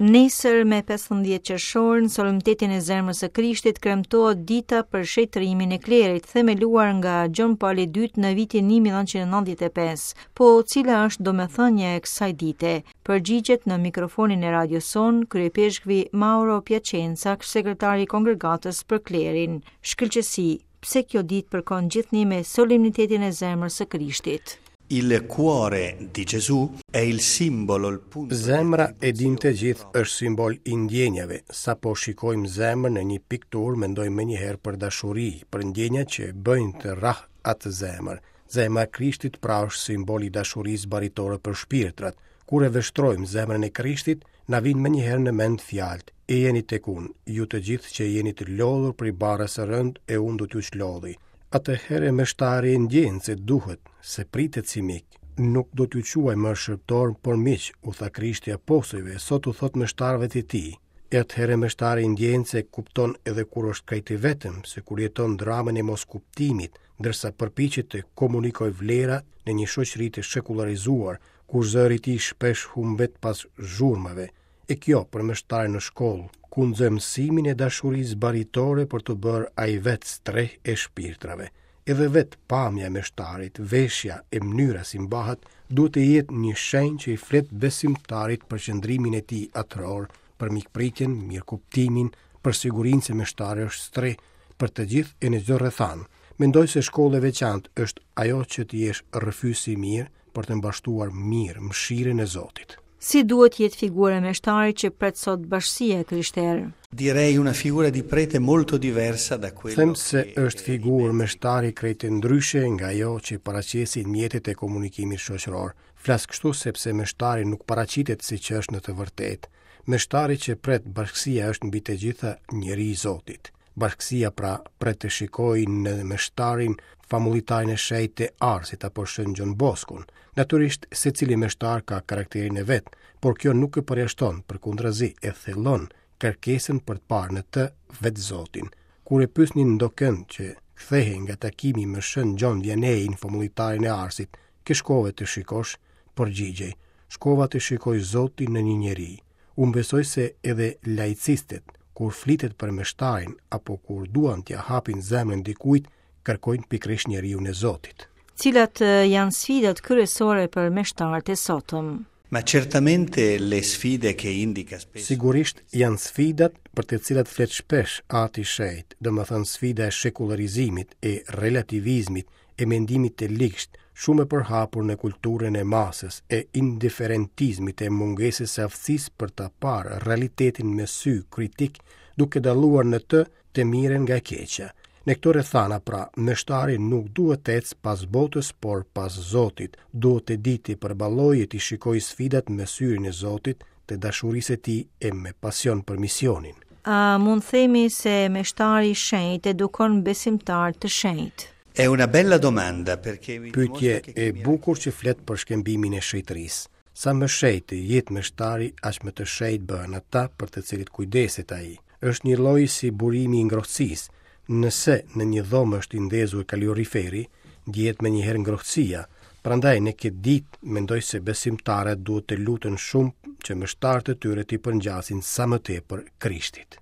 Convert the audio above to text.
Nesër me 15 qershor në solemnitetin e Zemrës së Krishtit kremtohet dita për shenjtërimin e klerit, themeluar nga Gjon Pali II në vitin 1995. Po cila është domethënia e kësaj dite? Përgjigjet në mikrofonin e radios sonë kryeipeshkvi Mauro Piacenza, sekretari i Kongregatës për Klerin. Shkëlqesi, pse kjo ditë përkon gjithnjë me solemnitetin e Zemrës së Krishtit? Il cuore di Gesù è il simbolo, il punto Zemra e dimë të gjithë është simbol i ndjenjave. Sapo shikojmë zemrën në një pikturë, mendojmë menjëherë për dashuri, për ndjenjat që bëjnë të rrahë atë zemër. Zemra e Krishtit pra është simbol i dashurisë baritore për shpirtrat. Kur e vështrojmë zemrën e Krishtit, na vijnë menjëherë në mend fjalët: Ejani tek unë, ju të gjithë që jeni të lodhur prej barrës së rëndë e unë do t'ju çlodhi. Atëherë meshtari e ndjen se duhet, se pritet si mik. Nuk do t'ju quaj më shërbëtorë, por miq, u tha Krishti apostujve, sot u thotë meshtarëve të tij. E atëherë meshtari ndjen se kupton edhe kur është krejt i vetëm, se kur jeton dramën e moskuptimit, ndërsa përpiqet të komunikojë vlera në një shoqëri të shekullarizuar, ku zëri i tij shpesh humbet pas zhurmave. E kjo për meshtarin është shkollë, ku nxë mësimin e dashurisë baritore për t'u bërë ai vetë strehë e shpirtrave. Edhe vetë pamja e meshtarit, veshja e mënyra si mbahet, duhet të jetë një shenjë që i flet besimtarit për qëndrimin e tij atëror, për mikpritjen, mirëkuptimin, për sigurinë se meshtari është strehë për të gjithë e në çdo rrethanë. Mendoj se shkollë e veçantë është ajo që të jesh rrëfyes i mirë për të mbashtuar mirë mëshirën e Zotit. Si duhet të jetë figura e meshtarit që pret sot bashkësia e krishterë? Direi una figura di prete molto diversa da quello Them se është figurë meshtari krejt ndryshe nga ajo që paraqesin mjetet e komunikimit shoqëror. Flas kështu sepse meshtari nuk paraqitet siç është në të vërtetë. Meshtari që pret bashkësia është mbi të gjitha njeri i Zotit. Bashkësia pra pret të shikojë në meshtarin famullitarin e shenjtë të Arsit apo Shën Gjon Boskun. Natyrisht, secili meshtar ka karakterin e vet, por kjo nuk e përjashton, përkundrazi e thellon kërkesën për të parë në të vetë Zotin. Kur e pyesnin ndokënd që kthehej nga takimi me Shën Gjon Vianney-n, famullitarin e Arsit, kë shkove të shikosh, përgjigjej, shkova të shikoj Zotin në një njeri. Unë besoj se edhe laicistët, kur flitet për meshtarin apo kur duan t'ia hapin zemrën dikujt, kërkojnë pikërisht njeriun e Zotit. Cilat janë sfidat kryesore për meshtarët e sotëm? Ma certamente le sfide che indica spesso Sigurisht janë sfidat për të cilat flet shpesh Ati i Shenjtë, domethënë sfida e shekullarizimit, e relativizmit, e mendimit të ligshtë, shumë e përhapur në kulturën e masës, e indiferentizmit, e mungesës së aftësisë për ta parë realitetin me sy kritik, duke dalluar në të të mirën nga e keqja. Në këto rrethana, pra, meshtari nuk duhet të ecë pas botës, por pas Zotit. Duhet të dijë t'i përballojë e t'i shikojë sfidat me syrin e Zotit, të dashurisë së tij e me pasion për misionin. A mund themi se meshtari i shenjtë edukon besimtarë të shenjtë? È una bella domanda perché mi Pyetje e bukur që flet për shkëmbimin e shenjtërisë. Sa më shenjt të jetë meshtari, aq më të shenjtë bëhen ata për të cilët kujdeset ai. Është njëlloj si burimi i ngrohtësisë. Nëse në një dhomë është i ndezur kaloriferi, ndjehet menjëherë ngrohtësia. Prandaj në këtë ditë mendoj se besimtarët duhet të luten shumë që meshtarët e tyre t'i përngjasin sa më tepër Krishtit.